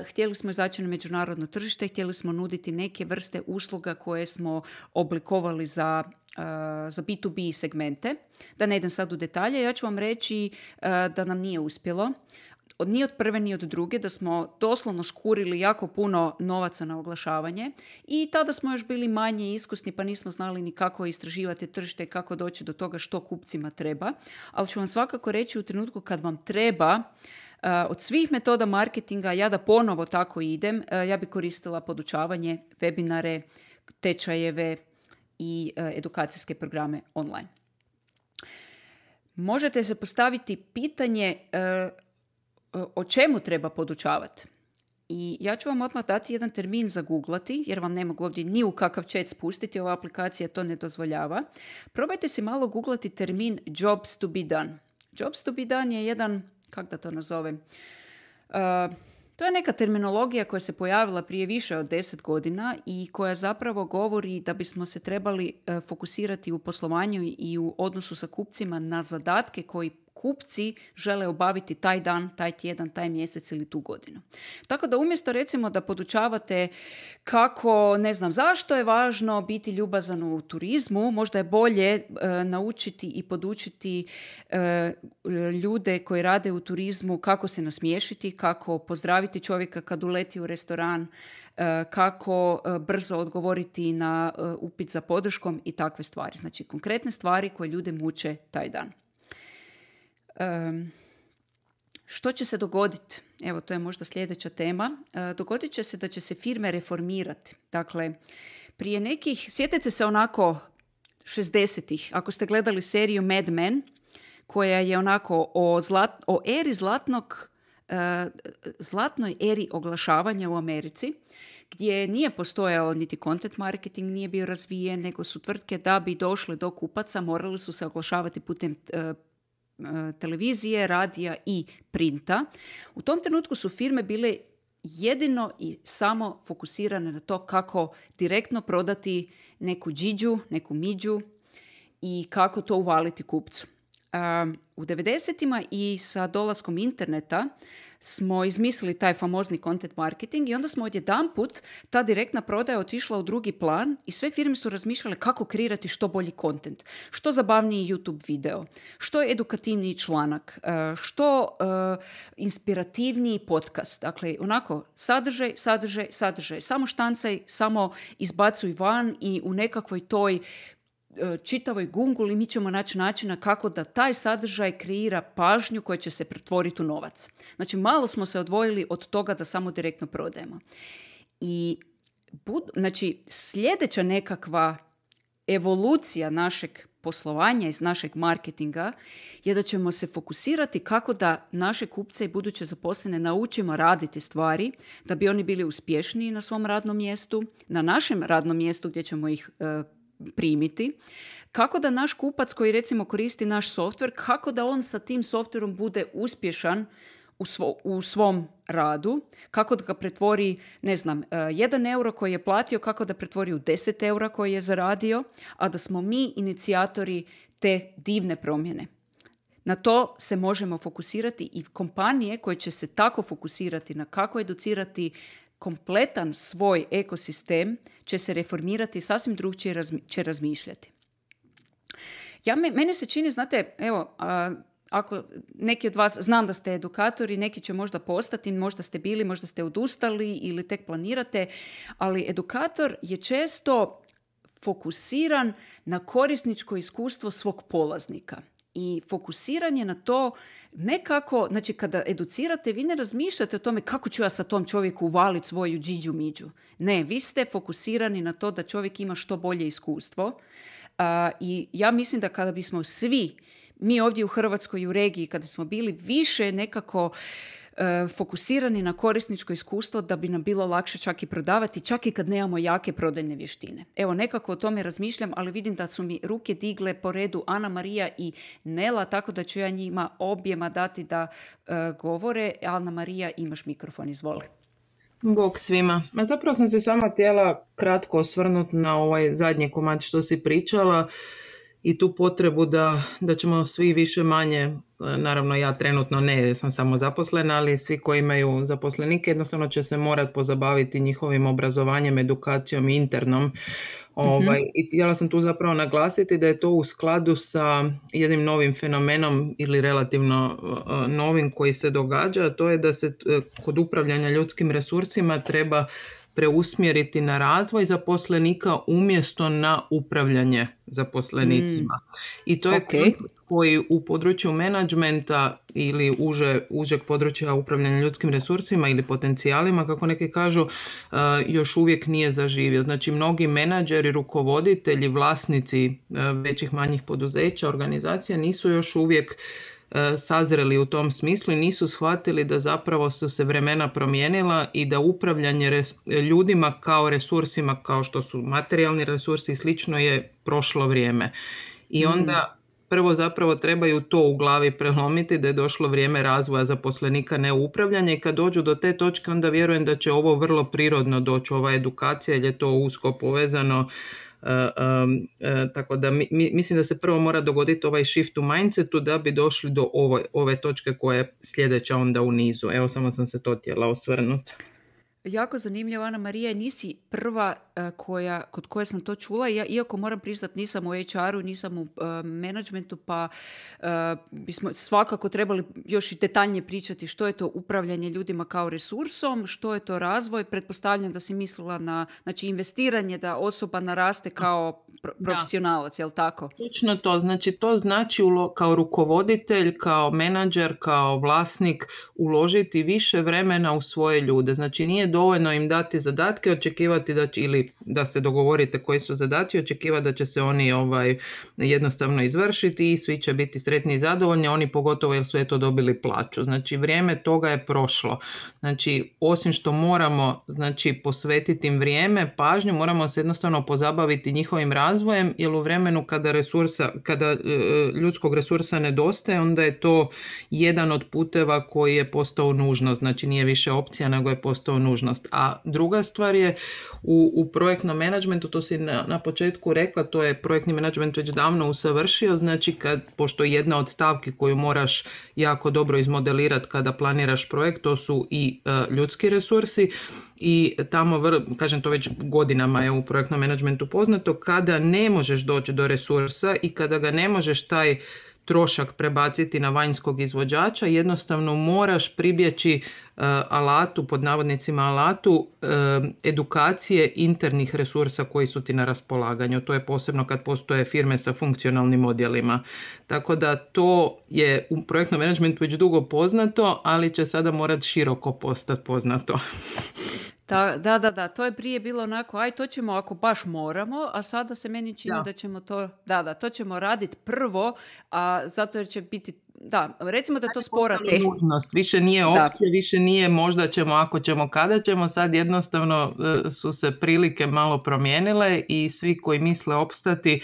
Htjeli smo izaći na međunarodno tržište, htjeli smo nuditi neke vrste usluga koje smo oblikovali za B2B segmente. Da ne idem sad u detalje, ja ću vam reći da nam nije uspjelo. Ni od prve, ni od druge, da smo doslovno skurili jako puno novaca na oglašavanje i tada smo još bili manje iskusni pa nismo znali ni kako istraživati tržište i kako doći do toga što kupcima treba. Ali ću vam svakako reći u trenutku kad vam treba od svih metoda marketinga, ja da ponovo tako idem, ja bi koristila podučavanje, webinare, tečajeve i edukacijske programe online. Možete se postaviti pitanje o čemu treba podučavati. I ja ću vam odmah dati jedan termin za googlati, jer vam ne mogu ovdje ni u kakav chat spustiti, ova aplikacija to ne dozvoljava. Probajte si malo googlati termin jobs to be done. Jobs to be done je jedan, kako da to nazovem, to je neka terminologija koja se pojavila prije više od 10 godina i koja zapravo govori da bismo se trebali fokusirati u poslovanju i u odnosu sa kupcima na zadatke koji kupci žele obaviti taj dan, taj tjedan, taj mjesec ili tu godinu. Tako da umjesto recimo da podučavate kako, ne znam, zašto je važno biti ljubazan u turizmu, možda je bolje naučiti i podučiti ljude koji rade u turizmu kako se nasmiješiti, kako pozdraviti čovjeka kad uleti u restoran, kako brzo odgovoriti na upit za podrškom i takve stvari. Znači konkretne stvari koje ljude muče taj dan. Što će se dogoditi? Evo, to je možda sljedeća tema. Dogodit će se da će se firme reformirati. Dakle, prije nekih, sjetite se onako 60-ih, ako ste gledali seriju Mad Men, koja je onako o eri zlatnoj eri oglašavanja u Americi, gdje nije postojao niti content marketing, nije bio razvijen, nego su tvrtke da bi došle do kupaca, morali su se oglašavati putem televizije, radija i printa. U tom trenutku su firme bile jedino i samo fokusirane na to kako direktno prodati neku džiđu, neku miđu i kako to uvaliti kupcu. U 90-ima i sa dolaskom interneta smo izmislili taj famozni content marketing i onda smo odjedanput ta direktna prodaja otišla u drugi plan i sve firme su razmišljale kako kreirati što bolji content, što zabavniji YouTube video, što edukativniji članak, što inspirativniji podcast. Dakle, onako, sadržaj, samo štancaj, samo izbacuj van i u nekakvoj toj čitavoj gunguli mi ćemo naći načina kako da taj sadržaj kreira pažnju koja će se pretvoriti u novac. Znači, malo smo se odvojili od toga da samo direktno prodajemo. I znači, sljedeća nekakva evolucija našeg poslovanja iz našeg marketinga je da ćemo se fokusirati kako da naše kupce i buduće zaposlene naučimo raditi stvari da bi oni bili uspješniji na svom radnom mjestu, na našem radnom mjestu gdje ćemo ih primiti, kako da naš kupac koji recimo koristi naš softver, kako da on sa tim softverom bude uspješan u svom radu, kako da ga pretvori, 1 euro koji je platio, kako da pretvori u 10 eura koji je zaradio, a da smo mi inicijatori te divne promjene. Na to se možemo fokusirati i kompanije koje će se tako fokusirati na kako educirati kompletan svoj ekosistem će se reformirati, sasvim drugčije će razmišljati. Mene se čini, znate, evo, ako neki od vas, znam da ste edukatori, neki će možda postati, možda ste bili, možda ste odustali ili tek planirate, ali edukator je često fokusiran na korisničko iskustvo svog polaznika. I fokusiranje na to nekako, znači kada educirate, vi ne razmišljate o tome kako ću ja sa tom čovjeku uvaliti svoju džiđu miđu. Ne, vi ste fokusirani na to da čovjek ima što bolje iskustvo. I ja mislim da kada bismo svi, mi ovdje u Hrvatskoj i u regiji, kada bismo bili više nekako fokusirani na korisničko iskustvo, da bi nam bilo lakše čak i prodavati, čak i kad nemamo jake prodajne vještine. Evo, nekako o tome razmišljam, ali vidim da su mi ruke digle po redu Ana Marija i Nela, tako da ću ja njima objema dati da govore. Ana Marija, imaš mikrofon, izvoli. Bog svima. Zapravo sam se samo htjela kratko osvrnuti na ovaj zadnji komad što si pričala i tu potrebu da ćemo svi više manje, naravno ja trenutno ne, sam samo zaposlena, ali svi koji imaju zaposlenike jednostavno će se morati pozabaviti njihovim obrazovanjem, edukacijom i internom. I htjela sam tu zapravo naglasiti da je to u skladu sa jednim novim fenomenom ili relativno novim koji se događa, a to je da se kod upravljanja ljudskim resursima treba preusmjeriti na razvoj zaposlenika umjesto na upravljanje zaposlenicima. I to je koji u području menadžmenta ili užeg područja upravljanja ljudskim resursima ili potencijalima, kako neki kažu, još uvijek nije zaživio. Znači, mnogi menadžeri, rukovoditelji, vlasnici većih manjih poduzeća, organizacija nisu još uvijek sazreli u tom smislu i nisu shvatili da zapravo su se vremena promijenila i da upravljanje ljudima kao resursima, kao što su materijalni resursi i slično, je prošlo vrijeme. I onda prvo zapravo trebaju to u glavi prelomiti, da je došlo vrijeme razvoja zaposlenika, ne upravljanja, i kad dođu do te točke onda vjerujem da će ovo vrlo prirodno doći, ova edukacija, jer je to usko povezano. Tako da mislim da se prvo mora dogoditi ovaj shift u mindsetu da bi došli do ove točke koje je sljedeća onda u nizu. Evo, samo sam se to htjela osvrnuti. Jako zanimljivo, Ana Marija, nisi prva kod koje sam to čula. Ja, iako moram priznati, nisam u HR-u, nisam u menadžmentu, pa bismo svakako trebali još i detaljnije pričati što je to upravljanje ljudima kao resursom, što je to razvoj. Pretpostavljam da si mislila na, znači, investiranje, da osoba naraste kao profesionalac, jel tako? Točno to. Znači, to znači kao rukovoditelj, kao menadžer, kao vlasnik uložiti više vremena u svoje ljude. Znači, nije dovoljno im dati zadatke, očekivati da će, ili da se dogovorite koji su zadaci, očekivati da će se oni jednostavno izvršiti i svi će biti sretni i zadovoljni, oni pogotovo jer su dobili plaću. Znači, vrijeme toga je prošlo. Znači, osim što moramo posvetiti im vrijeme, pažnju, moramo se jednostavno pozabaviti njihovim razvojem razvojem, jer u vremenu kada ljudskog resursa nedostaje, onda je to jedan od puteva koji je postao nužnost, znači nije više opcija, nego je postao nužnost. A druga stvar je u projektnom menadžmentu, to si na početku rekla, to je projektni menadžment već davno usavršio, znači pošto jedna od stavki koju moraš jako dobro izmodelirati kada planiraš projekt, to su i ljudski resursi, i tamo, kažem, to već godinama je u projektnom menadžmentu poznato, kada ne možeš doći do resursa i kada ga ne možeš taj trošak prebaciti na vanjskog izvođača, jednostavno moraš pribjeći alatu, pod navodnicima alatu, edukacije internih resursa koji su ti na raspolaganju. To je posebno kad postoje firme sa funkcionalnim odjelima. Tako da to je u projektnom menadžmentu već dugo poznato, ali će sada morati široko postati poznato. Da, to je prije bilo onako, to ćemo ako baš moramo, a sada se meni čini da ćemo to ćemo raditi prvo, a zato jer će biti, recimo da to spora tehnika. Više nije opcija, više nije možda ćemo, ako ćemo, kada ćemo, sad jednostavno su se prilike malo promijenile i svi koji misle opstati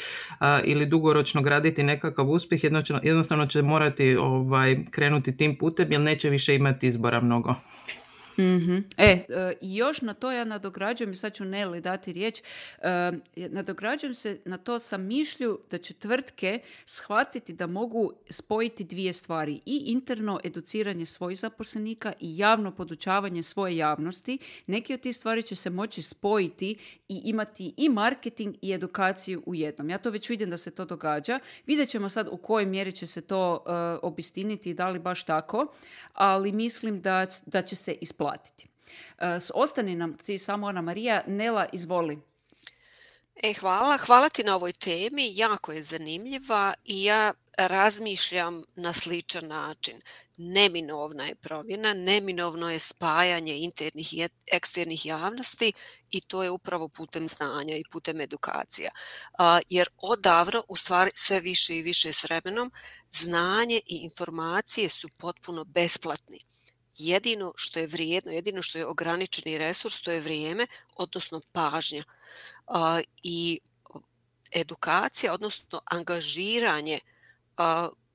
ili dugoročno graditi nekakav uspjeh, jednostavno će morati krenuti tim putem, jer neće više imati izbora mnogo. Mm-hmm. I još na to ja nadograđujem, i sad ću Neli dati riječ, nadograđujem se na to sa mišlju da će tvrtke shvatiti da mogu spojiti dvije stvari, i interno educiranje svojih zaposlenika i javno podučavanje svoje javnosti. Neki od tih stvari će se moći spojiti i imati i marketing i edukaciju u jednom. Ja to već vidim da se to događa. Vidjet ćemo sad u kojoj mjeri će se to obistiniti i da li baš tako, ali mislim da će se isplatiti. Ostani nam samo Ana Marija. Nela, izvoli. Hvala ti na ovoj temi, jako je zanimljiva i ja razmišljam na sličan način. Neminovna je promjena, neminovno je spajanje internih i eksternih javnosti i to je upravo putem znanja i putem edukacija. Jer odavno, u stvari sve više i više s vremenom, znanje i informacije su potpuno besplatni. Jedino što je vrijedno, jedino što je ograničeni resurs, to je vrijeme, odnosno pažnja. I edukacija, odnosno angažiranje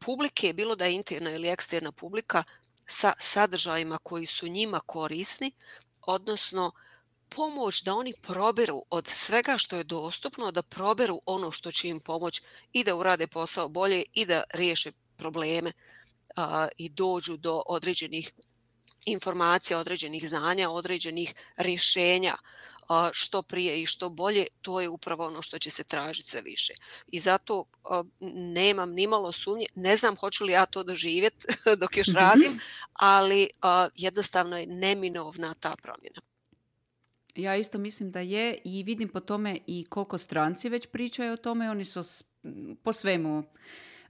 publike, bilo da je interna ili eksterna publika, sa sadržajima koji su njima korisni, odnosno pomoć da oni proberu od svega što je dostupno, da proberu ono što će im pomoći i da urade posao bolje i da riješe probleme i dođu do određenih informacija, određenih znanja, određenih rješenja što prije i što bolje. To je upravo ono što će se tražiti sve više. I zato nemam nimalo sumnje, ne znam hoću li ja to doživjeti dok još radim, ali jednostavno je neminovna ta promjena. Ja isto mislim da je i vidim po tome i koliko stranci već pričaju o tome. Oni su po svemu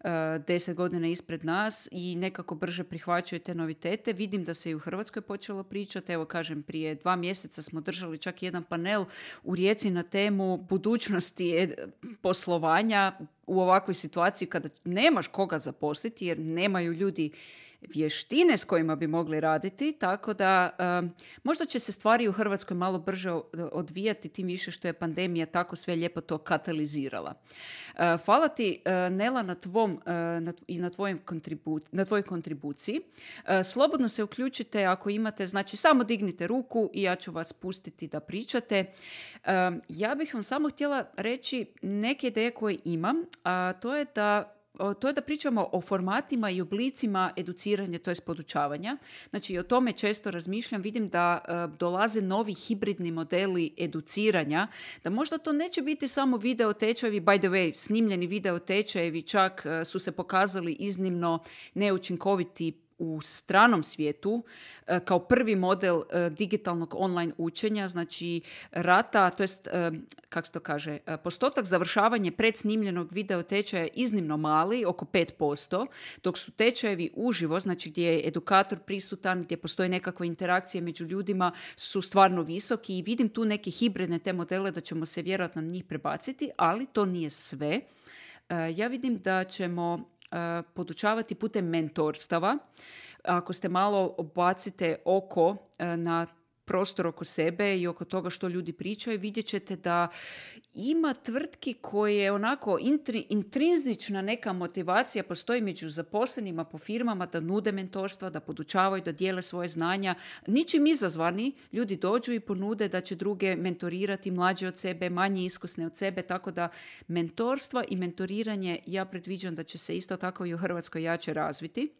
10 godina ispred nas i nekako brže prihvaćaju te novitete. Vidim da se i u Hrvatskoj počelo pričati. Evo, kažem, prije 2 mjeseca smo držali čak jedan panel u Rijeci na temu budućnosti poslovanja u ovakvoj situaciji kada nemaš koga zaposliti jer nemaju ljudi vještine s kojima bi mogli raditi, tako da možda će se stvari u Hrvatskoj malo brže odvijati, tim više što je pandemija tako sve lijepo to katalizirala. Hvala ti, Nela, na tvojoj kontribuciji. Slobodno se uključite ako imate, znači samo dignite ruku i ja ću vas pustiti da pričate. Ja bih vam samo htjela reći neke ideje koje imam, a to je da pričamo o formatima i oblicima educiranja, to jest podučavanja. Znači, o tome često razmišljam. Vidim da dolaze novi hibridni modeli educiranja, da možda to neće biti samo video tečajevi, by the way, snimljeni video tečajevi čak su se pokazali iznimno neučinkoviti u stranom svijetu kao prvi model digitalnog online učenja, znači rata, to jest, kako se to kaže, postotak završavanja predsnimljenog video tečaja je iznimno mali, oko 5%, dok su tečajevi uživo, znači gdje je edukator prisutan, gdje postoji nekakva interakcija među ljudima, su stvarno visoki i vidim tu neke hibridne te modele da ćemo se vjerojatno na njih prebaciti, ali to nije sve. Ja vidim da ćemo podučavati putem mentorstava. Ako ste malo bacite oko na prostor oko sebe i oko toga što ljudi pričaju, vidjet ćete da ima tvrtki koje onako intrinzična neka motivacija postoji među zaposlenima po firmama da nude mentorstva, da podučavaju, da dijele svoje znanja. Ničim izazvani ljudi dođu i ponude da će druge mentorirati, mlađe od sebe, manje iskusne od sebe, tako da mentorstva i mentoriranje ja predviđam da će se isto tako i u Hrvatskoj jače razviti.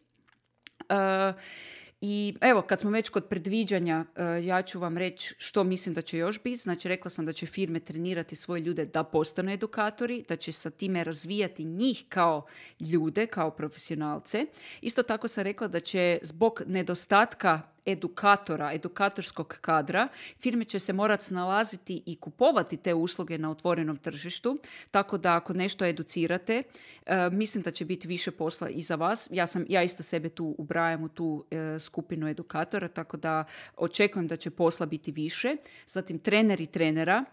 I evo, kad smo već kod predviđanja, ja ću vam reći što mislim da će još biti. Znači, rekla sam da će firme trenirati svoje ljude da postanu edukatori, da će sa time razvijati njih kao ljude, kao profesionalce. Isto tako sam rekla da će zbog nedostatka edukatora, edukatorskog kadra, firme će se morati snalaziti i kupovati te usluge na otvorenom tržištu, tako da ako nešto educirate, mislim da će biti više posla i za vas. Ja isto sebe tu ubrajam u tu skupinu edukatora, tako da očekujem da će posla biti više. Zatim treneri trenera,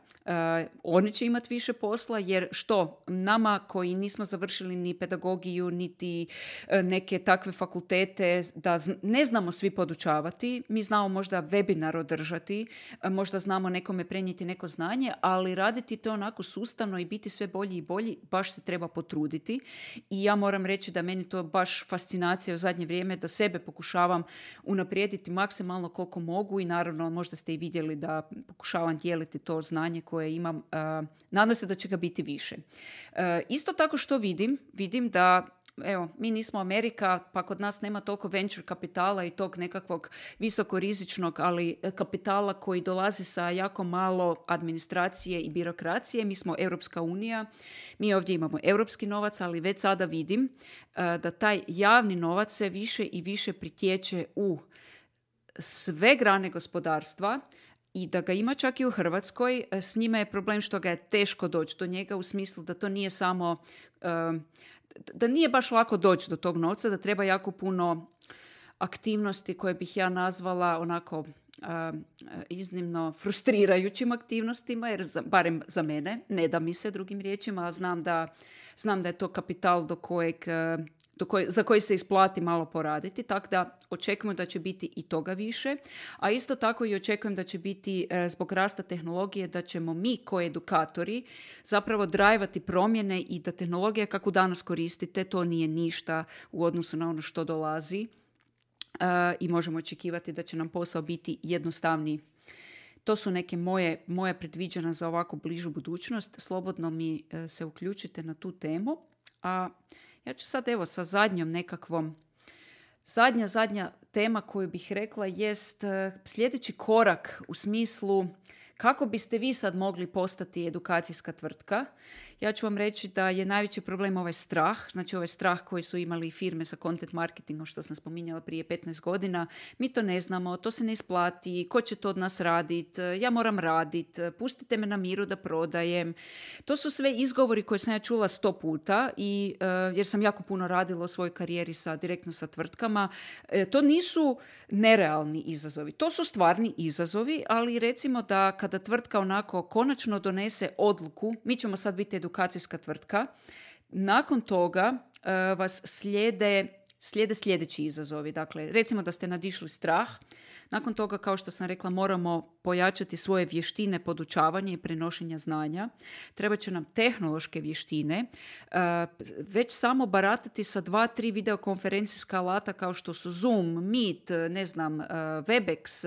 oni će imati više posla, jer što nama koji nismo završili ni pedagogiju, niti neke takve fakultete, da ne znamo svi podučavati, mi znamo možda webinar održati, možda znamo nekome prenijeti neko znanje, ali raditi to onako sustavno i biti sve bolji i bolji, baš se treba potruditi. I ja moram reći da meni to baš fascinacija u zadnje vrijeme, da sebe pokušavam unaprijediti maksimalno koliko mogu i naravno možda ste i vidjeli da pokušavam dijeliti to znanje koje imam. Nadam se da će ga biti više. Isto tako što vidim da evo, mi nismo Amerika, pa kod nas nema toliko venture kapitala i tog nekakvog visokorizičnog, ali kapitala koji dolazi sa jako malo administracije i birokracije. Mi smo Europska unija, mi ovdje imamo europski novac, ali već sada vidim da taj javni novac se više i više pritječe u sve grane gospodarstva i da ga ima čak i u Hrvatskoj. S njima je problem što ga je teško doći do njega, u smislu da to nije samo da nije baš lako doći do tog novca, da treba jako puno aktivnosti koje bih ja nazvala onako iznimno frustrirajućim aktivnostima, jer barem za mene, ne da mi se drugim riječima, a znam da je to kapital za koji se isplati malo poraditi, tako da očekujemo da će biti i toga više, a isto tako i očekujem da će biti zbog rasta tehnologije, da ćemo mi kao edukatori zapravo drajvati promjene i da tehnologija kakvu danas koristite, to nije ništa u odnosu na ono što dolazi i možemo očekivati da će nam posao biti jednostavniji. To su neke moje predviđanja za ovako bližu budućnost. Slobodno mi se uključite na tu temu, a ja ću sad evo sa zadnjom nekakvom, zadnja tema koju bih rekla jest sljedeći korak u smislu kako biste vi sad mogli postati edukacijska tvrtka. Ja ću vam reći da je najveći problem ovaj strah, znači ovaj strah koji su imali firme sa content marketingom, što sam spominjala prije 15 godina. Mi to ne znamo, to se ne isplati, ko će to od nas raditi, ja moram raditi, pustite me na miru da prodajem. To su sve izgovori koje sam ja čula 100 puta i jer sam jako puno radila u svojoj karijeri direktno sa tvrtkama. To nisu nerealni izazovi, to su stvarni izazovi, ali recimo da kada tvrtka onako konačno donese odluku, mi ćemo sad biti edukacijska tvrtka, nakon toga vas slijede sljedeći izazovi. Dakle, recimo da ste nadišli strah, nakon toga, kao što sam rekla, moramo pojačati svoje vještine podučavanja i prenošenja znanja. Treba će nam tehnološke vještine. Već samo baratati sa 2-3 videokonferencijska alata kao što su Zoom, Meet, Webex,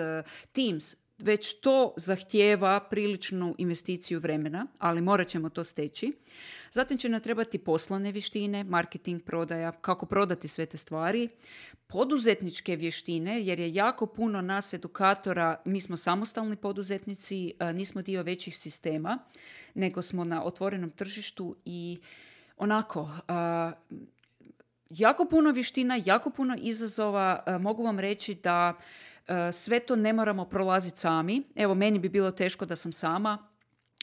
Teams. Već to zahtijeva priličnu investiciju vremena, ali morat ćemo to steći. Zatim će nam trebati poslovne vještine, marketing, prodaja, kako prodati sve te stvari, poduzetničke vještine, jer je jako puno nas edukatora, mi smo samostalni poduzetnici, nismo dio većih sistema, nego smo na otvorenom tržištu i onako, jako puno vještina, jako puno izazova. Mogu vam reći da sve to ne moramo prolaziti sami. Evo, meni bi bilo teško da sam sama.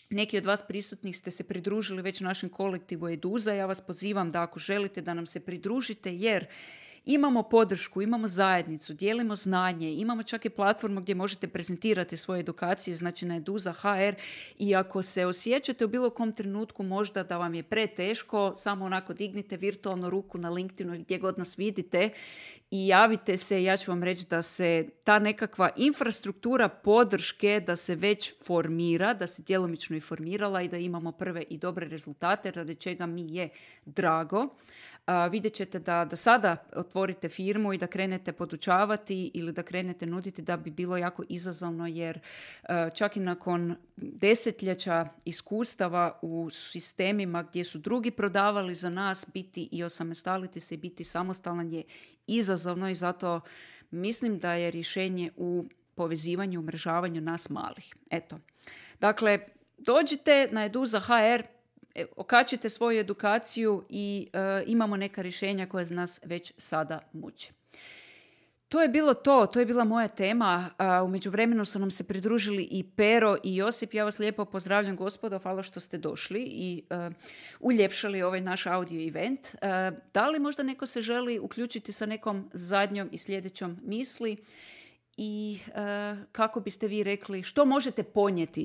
Neki od vas prisutnih ste se pridružili već našem kolektivu Eduza. Ja vas pozivam da ako želite da nam se pridružite, jer imamo podršku, imamo zajednicu, dijelimo znanje, imamo čak i platformu gdje možete prezentirati svoje edukacije, znači na Eduza.hr, i ako se osjećate u bilo kom trenutku možda da vam je preteško, samo onako dignite virtualnu ruku na LinkedInu gdje god nas vidite i javite se. Ja ću vam reći da se ta nekakva infrastruktura podrške da se već formira, da se djelomično i formirala i da imamo prve i dobre rezultate, radi čega mi je drago. Vidjet ćete da sada otvorite firmu i da krenete podučavati ili da krenete nuditi da bi bilo jako izazovno, jer čak i nakon desetljeća iskustava u sistemima gdje su drugi prodavali za nas, biti i osamostaliti se i biti samostalan je izazovno, i zato mislim da je rješenje u povezivanju, umrežavanju nas malih. Eto. Dakle, dođite na Eduza.hr, okačite svoju edukaciju i imamo neka rješenja koje nas već sada muče. To je bilo to je bila moja tema. U međuvremenu su nam se pridružili i Pero i Josip. Ja vas lijepo pozdravljam, gospodo, hvala što ste došli i uljepšali ovaj naš audio event. Da li možda neko se želi uključiti sa nekom zadnjom i sljedećom misli i kako biste vi rekli, što možete ponijeti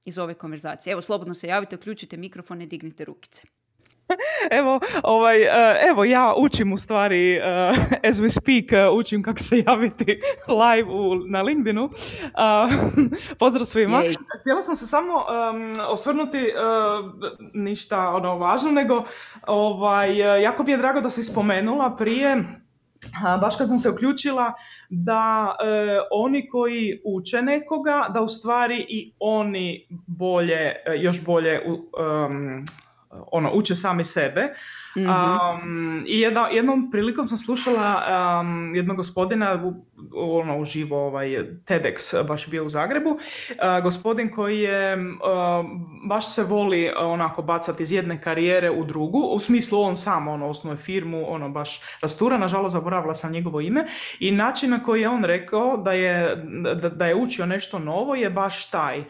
iz ove konverzacije? Evo, slobodno se javite, uključite mikrofone, dignite rukice. Evo, ja učim u stvari, as we speak, učim kako se javiti live na LinkedInu. Pozdrav svima. Jej. Htjela sam se samo osvrnuti ništa važno, nego jako mi je drago da si spomenula prije, baš kad sam se uključila, da oni koji uče nekoga, da u stvari i oni još bolje uče sami sebe. Mm-hmm. I jednom prilikom sam slušala jednog gospodina uživo, TEDx baš bio u Zagrebu, gospodin koji je baš se voli onako bacati iz jedne karijere u drugu, u smislu on sam osnuje firmu, baš rastura, nažalost zaboravila sam njegovo ime, i način na koji je on rekao da je učio nešto novo je baš taj.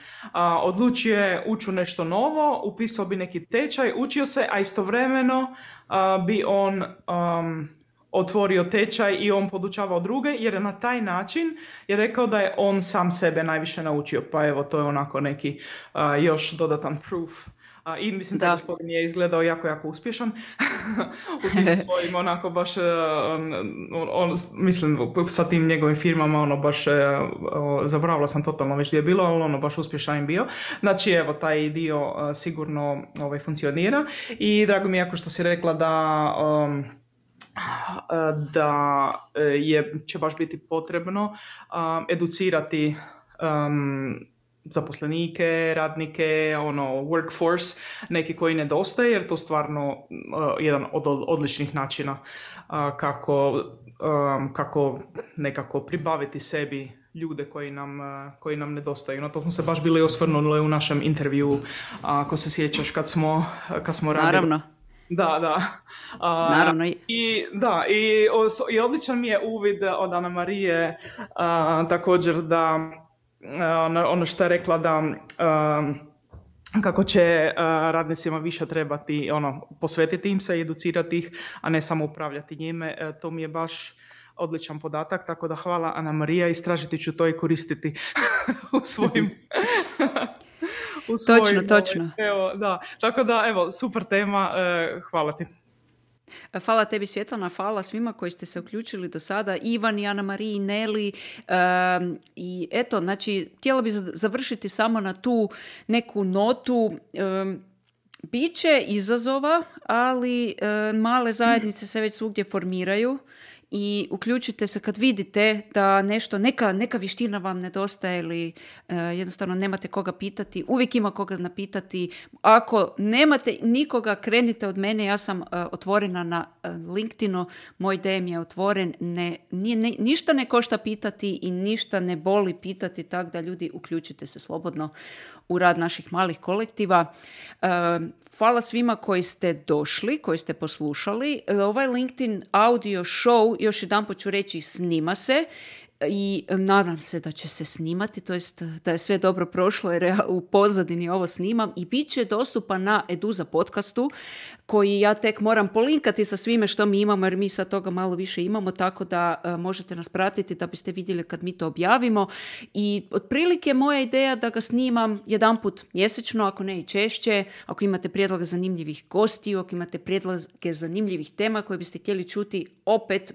Odlučio je ući u nešto novo, upisao bi neki tečaj, učio se, a istovremeno bi on otvorio tečaj i on podučavao druge, jer na taj način je rekao da je on sam sebe najviše naučio. Pa evo, to je onako neki još dodatan proof. I mislim da gospodin je izgledao jako uspješan u tim svojim onako baš, mislim sa tim njegovim firmama baš, zaboravila sam totalno već gdje je bilo, ali baš uspješan je bio. Znači evo, taj dio sigurno funkcionira i drago mi je jako što si rekla da će baš biti potrebno educirati zaposlenike, radnike, workforce, neki koji nedostaje, jer to stvarno jedan od odličnih načina kako nekako pribaviti sebi ljude koji nam nedostaju. Na to smo se baš bili osvrnuli u našem intervjuu, ako se sjećaš kad smo radili. Naravno. Da. Naravno. I odličan mi je uvid od Ana Marije također da ono što je rekla da kako će radnicima više trebati posvetiti im se i educirati ih, a ne samo upravljati njime. To mi je baš odličan podatak, tako da hvala Ana Marija, istražiti ću to i koristiti u svojim... Točno. Evo, da. Tako da, evo, super tema, hvala ti. Hvala tebi, Svjetlana, hvala svima koji ste se uključili do sada, Ivan i Ana Mariji, Neli, i eto, znači, htjela bi završiti samo na tu neku notu. Biće izazova, ali male zajednice se već svugdje formiraju i uključite se kad vidite da nešto, neka vještina vam nedostaje ili jednostavno nemate koga pitati. Uvijek ima koga napitati. Ako nemate nikoga, krenite od mene. Ja sam otvorena na LinkedInu. Moj DM je otvoren. Ništa ne košta pitati i ništa ne boli pitati, tako da ljudi, uključite se slobodno u rad naših malih kolektiva. Hvala svima koji ste došli, koji ste poslušali. Ovaj LinkedIn audio show, još jedanput ću reći, snima se i nadam se da će se snimati, to jest da je sve dobro prošlo jer ja u pozadini ovo snimam i bit će dostupan na Eduza podcastu koji ja tek moram polinkati sa svime što mi imamo jer mi sad toga malo više imamo, tako da možete nas pratiti da biste vidjeli kad mi to objavimo i otprilike moja ideja da ga snimam jedanput mjesečno, ako ne i češće, ako imate prijedloga zanimljivih gostiju, ako imate prijedloge zanimljivih tema koje biste htjeli čuti, opet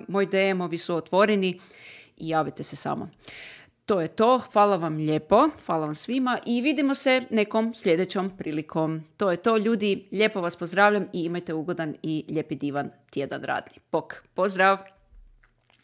moj DM-ovi su otvoreni i javite se samo. To je to. Hvala vam lijepo. Hvala vam svima i vidimo se nekom sljedećom prilikom. To je to, ljudi. Lijepo vas pozdravljam i imajte ugodan i lijepi divan tjedan radni. Bok. Pozdrav!